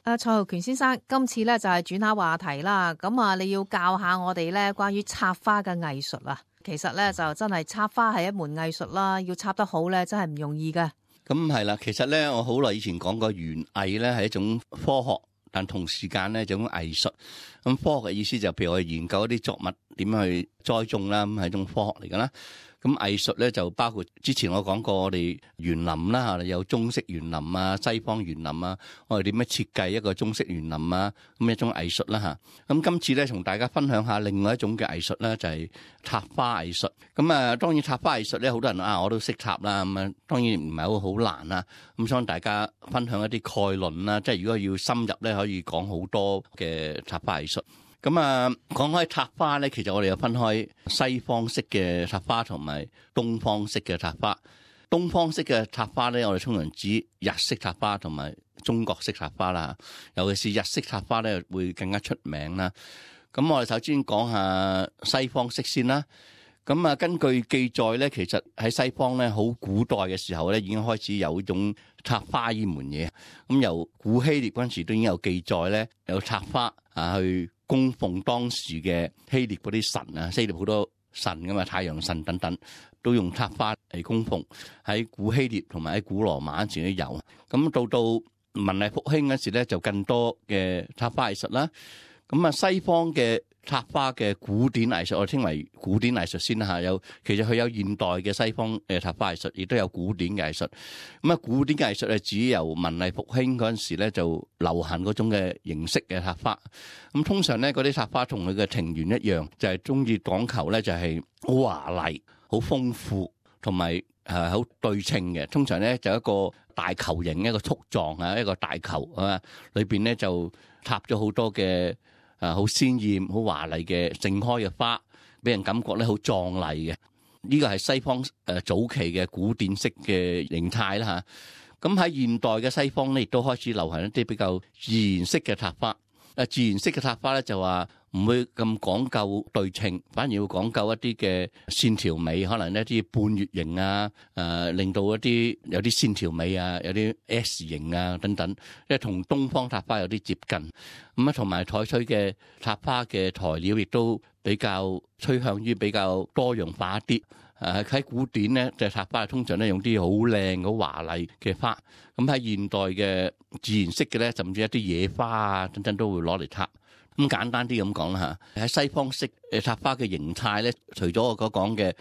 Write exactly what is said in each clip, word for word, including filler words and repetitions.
誒，蔡浩權先生，今次咧就係轉下話題啦。咁啊，你要教下我哋咧關於插花嘅藝術啊。其實咧就真係插花係一門藝術啦，要插得好咧真係唔容易嘅。咁係啦，其實咧我好耐以前講過，園藝咧係一種科學，但同時間咧就一種藝術。咁科學嘅意思就譬如我哋研究一啲作物點樣去栽種啦，咁係一種科學嚟噶啦。咁藝術咧就包括之前我講過我哋園林啦，有中式園林啊、西方園林啊，我哋點樣設計一個中式園林啊，咁一種藝術啦嚇。咁今次咧同大家分享下另外一種嘅藝術咧，就係插花藝術。咁啊，當然插花藝術咧，好多人啊我都識插啦，咁啊當然唔係好好難啦。咁想大家分享一啲概論啦，即係如果要深入咧，可以講好多嘅插花藝術。咁啊，講開插花咧，其實我哋有分開西方式嘅插花同埋東方式嘅插花。東方式嘅插花咧，我哋通常指日式插花同埋中國式插花啦。尤其是日式插花咧，會更加出名啦。咁我哋首先講下西方式先啦。咁啊，根據記載咧，其實喺西方咧，好古代嘅時候咧，已經開始有一種插花呢門嘢。咁由古希臘嗰陣時都已經有記載咧，有插花啊去供奉當時嘅希臘嗰啲神啊，希臘好多神噶嘛，太陽神等等，都用插花嚟供奉。喺古希臘同埋喺古羅馬嗰時都有。咁到到文藝復興嗰時咧，就更多嘅插花藝術啦。咁啊，西方嘅插花嘅古典藝術，我稱為古典藝術先啦嚇。有其實佢有現代嘅西方嘅插花藝術，亦都有古典嘅藝術。咁啊，古典嘅藝術係指由文藝復興嗰陣時咧，就流行嗰種嘅形式嘅插花。咁通常咧，嗰啲插花同佢嘅庭園一樣，就係中意講求咧，就係好華麗、好豐富，同埋誒好對稱嘅。通常咧就一個大球形，一個簇狀啊，一個大球啊，裏邊咧就插咗好多嘅。啊，好鮮豔、好華麗嘅盛開嘅花，俾人感覺咧好壯麗嘅。呢個係西方誒早期嘅古典式嘅形態啦嚇。咁喺現代嘅西方咧，亦都開始流行一啲比較自然式嘅插花。誒自然式嘅插花咧就話唔會咁講究對稱，反而要講究一啲嘅線條美，可能一啲半月形啊，誒、呃、令到一啲有啲線條美啊，有啲 S 型啊等等，即係同東方插花有啲接近。咁啊，同埋採取嘅插花嘅材料亦都比較趨向於比較多樣化一啲。誒喺古典咧，就插花通常咧用啲好靚、好華麗嘅花。咁喺現代嘅自然式嘅咧，甚至一啲野花啊等等都會攞嚟插。咁簡單啲咁講啦嚇，喺西方式誒插花嘅形態咧，除咗我所講嘅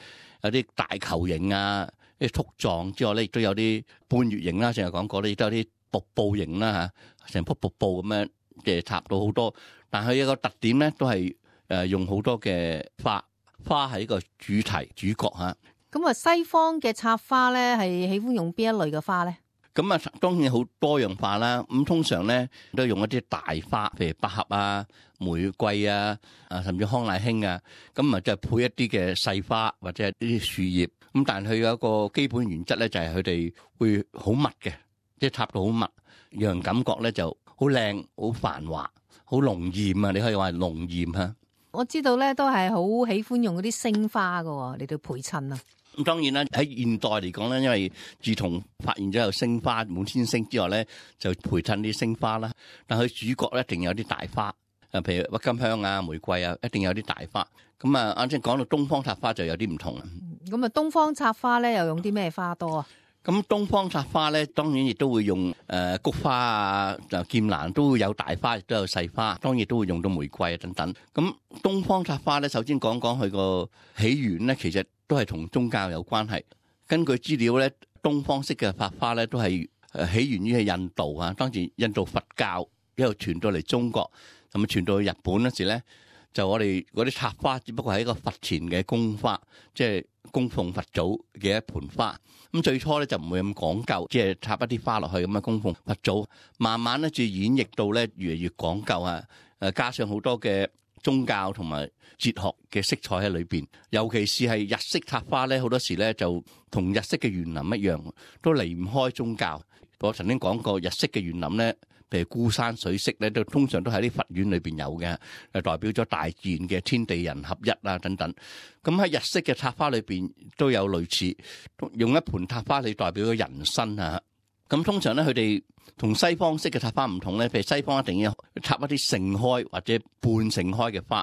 有啲大球形啊、啲簇狀之外咧，亦都有啲半月形啦，成日講過咧，亦都有啲瀑布形啦嚇，成幅瀑布咁樣嘅插到好多。但係有一個特點咧，都係誒用好多嘅花。花係一個主題主角嚇。咁啊，西方嘅插花咧係喜歡用邊一類嘅花咧？咁啊，當然好多樣化啦。咁通常咧都用一啲大花，譬如百合啊、玫瑰啊、啊甚至康乃馨啊。咁啊，就配一啲嘅細花或者係啲樹葉。咁但係佢有一個基本原則咧，就係佢哋會好密嘅，即係插到好密，讓人感覺咧就好靚、好繁華、好濃豔啊！你可以話係濃豔嚇。我知道咧，都係好喜歡用嗰啲星花㗎嚟到陪襯啊。咁當然啦，喺現代嚟講咧，因為自從發現咗有星花滿天星之外咧，就陪襯啲星花啦。但佢主角咧一定有啲大花，誒，譬如鬱金香啊、玫瑰啊，一定有啲大花。咁啊，啱先講到東方插花就有啲唔同啦。咁啊，東方插花咧又用啲咩花多啊？咁東方插花咧，當然亦都會用誒菊花啊、就劍蘭都會有大花，亦都有細花，當然都會用到玫瑰啊等等。咁東方插花咧，首先講講佢個起源咧，其實都係同宗教有關係。根據資料咧，東方式嘅插花咧都係誒起源於係印度啊。當時印度佛教一路傳到嚟中國，咁啊傳到去日本嗰時咧，就我哋嗰啲插花只不過係一個佛前嘅供花，即係供奉佛祖嘅一盆花。咁最初咧就唔會咁講究，即係插一啲花落去咁啊供奉佛祖。慢慢咧就演繹到咧越嚟越講究啊！誒加上好多嘅宗教同埋哲學嘅色彩喺裏邊，尤其是係日式插花咧，好多時咧就同日式嘅園林一樣，都離唔開宗教。我曾經講過，日式嘅園林咧，譬如孤山水色咧，都通常都喺啲佛院裏邊有嘅，誒代表咗大自然嘅天地人合一啊等等。咁喺日式嘅插花裏邊都有類似，用一盆插花嚟代表咗人生啊。咁通常咧，佢哋同西方式嘅插花唔同咧，譬如西方一定要插一啲盛開或者半盛開嘅花，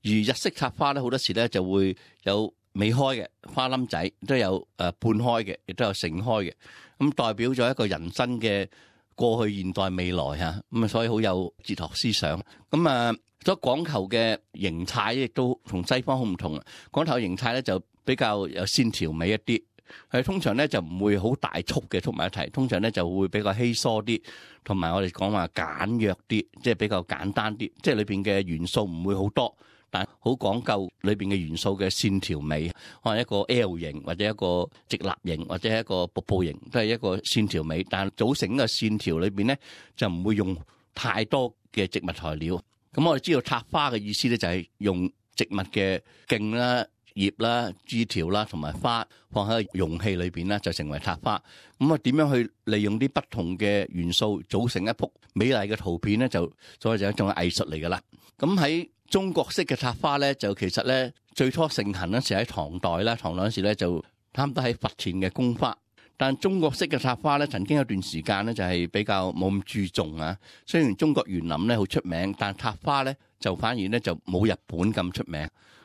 而日式插花咧好多時咧就會有未開嘅花冧仔，都有誒半開嘅，亦都有盛開嘅，咁代表咗一個人生嘅過去、現代、未來嚇，咁啊所以好有哲學思想。咁啊，所講求嘅形態亦都同西方好唔同啊。講求形態咧就比較有線條美一啲。係通常咧就唔會好大束嘅束埋一齊，通常咧就會比較稀疏啲，同埋我哋講話簡約啲，即係比較簡單啲，即係裏邊嘅元素唔會好多，但好講究裏邊嘅元素嘅線條美，可能一個 L 型或者一個直立型或者一個瀑布型，都係一個線條美，但組成嘅線條裏邊咧就唔會用太多嘅植物材料。咁我哋知道插花嘅意思咧就係用植物嘅莖啦、葉啦、枝條啦，同埋花放喺容器裏邊啦，就成為插花。咁啊，點樣去利用啲不同嘅元素組成一幅美麗嘅圖片咧？就所以就一種藝術嚟噶啦。咁喺中國式嘅插花咧，就其實咧最初盛行嗰時喺唐代啦，唐代嗰時咧就差唔多喺佛前嘅供花。但中國式嘅插花咧，曾經有段時間咧就係比較冇咁注重啊。雖然中國園林咧好出名，但插花咧就反而咧就冇日本咁出名。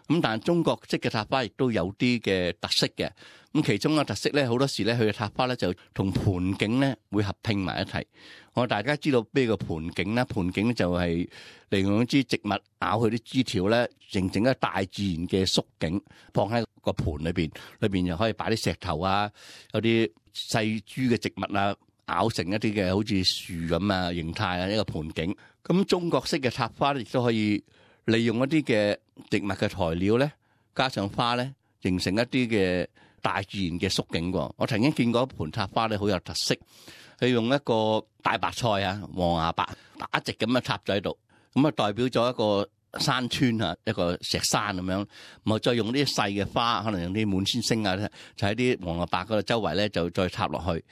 咁但係中國式嘅插花亦都有啲嘅特色嘅，咁其中嘅特色咧，好多時咧佢嘅插花咧就同盆景咧會合併埋一齊。我大家知道咩叫盆景咧？盆景就係利用一支植物咬佢啲枝條咧，形成一個大自然嘅縮景，放喺個盆裏邊，裏邊又可以擺啲石頭啊，有啲細株嘅植物啊，咬成一啲嘅好似樹咁啊形態啊，一個盆景。咁中國式嘅插花咧，亦都可以利用一啲嘅植物嘅材料咧，加上花咧，形成一啲嘅大自然嘅縮景喎。我曾經見過一盆插花咧，好有特色。佢用一個大白菜啊，黃芽白打直咁樣插咗喺度，咁啊代表咗一個山川啊，一個石山咁樣。咁啊再用啲細嘅花，可能用啲滿天星啊，就喺啲黃芽白嗰度周圍咧，就再插落去，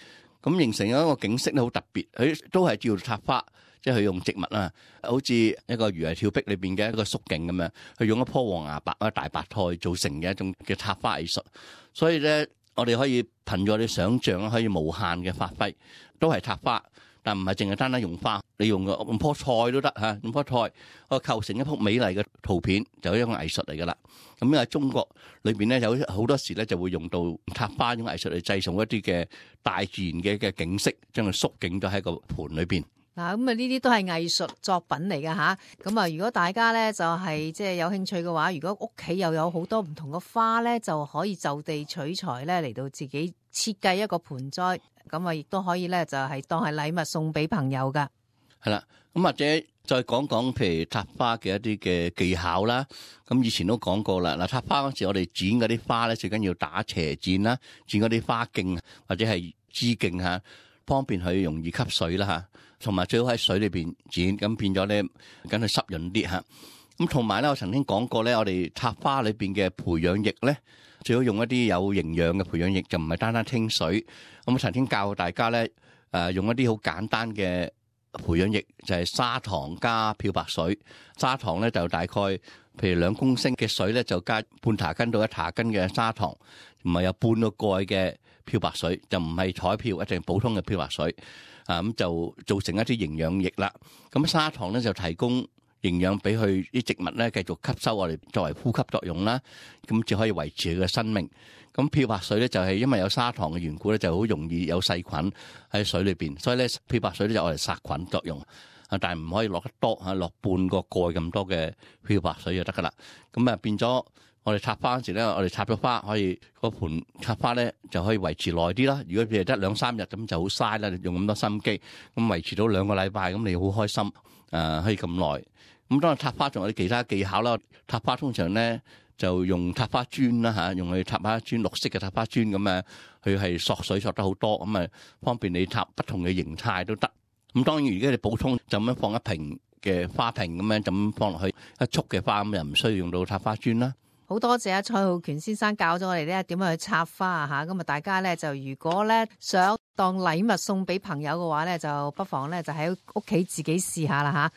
咁形成一個景色咧，好特別。佢都係叫插花。即係佢用植物啊，好似一個魚兒跳壁裏邊嘅一個縮景咁樣，佢用一棵黃芽白啊大白菜做成嘅一種嘅插花藝術。所以咧，我哋可以憑住我哋想象可以無限嘅發揮，都係插花，但唔係淨係單單用花，你用個用棵菜都得嚇，用棵菜我構成一幅美麗嘅圖片，就係一種藝術嚟噶啦。咁因為中國裏邊咧有好多時咧就會用到插花呢種藝術嚟製造一啲嘅大自然嘅嘅景色，將佢縮景咗喺個盤裏邊。嗱，咁啊呢啲都係藝術作品嚟㗎吓，咁啊如果大家咧就係即係有興趣嘅話，如果屋企又有好多唔同嘅花咧，就可以就地取材咧嚟到自己設計一個盆栽，咁啊亦都可以咧就係當係禮物送俾朋友㗎。係啦，咁或者再講講譬如插花嘅一啲嘅技巧啦。咁以前都講過啦，嗱插花嗰時我哋剪嗰啲花咧，最緊要打斜剪啦，剪嗰啲花徑或者係枝徑嚇，方便佢容易吸水啦嚇。同埋最好喺水裏邊剪，咁變咗咧，梗係濕潤啲嚇。咁同埋咧，我曾經講過咧，我哋插花裏邊嘅培養液咧，最好用一啲有營養嘅培養液，就唔係單單清水。咁我曾經教大家咧，誒用一啲好簡單嘅培養液，就係砂糖加漂白水。砂糖咧就大概譬如兩公升嘅水咧，就加半茶羹到一茶羹嘅砂糖，唔係有半個蓋嘅漂白水，就唔係彩漂，一定普通嘅漂白水。啊咁就造成一啲營養液啦。咁砂糖咧就提供營養俾佢啲植物咧繼續吸收我哋作為呼吸作用啦。咁就可以維持佢嘅生命。咁漂白水咧就係因為有砂糖嘅緣故咧，就好容易有細菌喺水裏邊，所以咧漂白水咧就我哋殺菌作用。啊，但係唔可以落得多嚇，落半個蓋咁多嘅漂白水就得噶啦。咁啊變咗。我哋插花嗰時咧，我哋插咗花可以嗰盆插花咧就可以維持耐啲啦。如果譬如得兩三日咁就好嘥啦，用咁多心機，咁維持到兩個禮拜咁你好開心，誒、呃、可以咁耐。咁當然插花仲有啲其他技巧啦。插花通常咧就用插花磚啦嚇，用去插花磚，綠色嘅插花磚咁啊，佢係索水索得好多，咁啊方便你插不同嘅形態都得。咁當然如果你普通就咁樣放一瓶嘅花瓶咁樣就咁放落去一束嘅花咁，又唔需要用到插花磚啦。好多謝阿蔡浩權先生教咗我哋咧點樣去插花啊吓，咁啊大家咧就如果咧想當禮物送俾朋友嘅話咧，就不妨咧就喺屋企自己試下啦吓。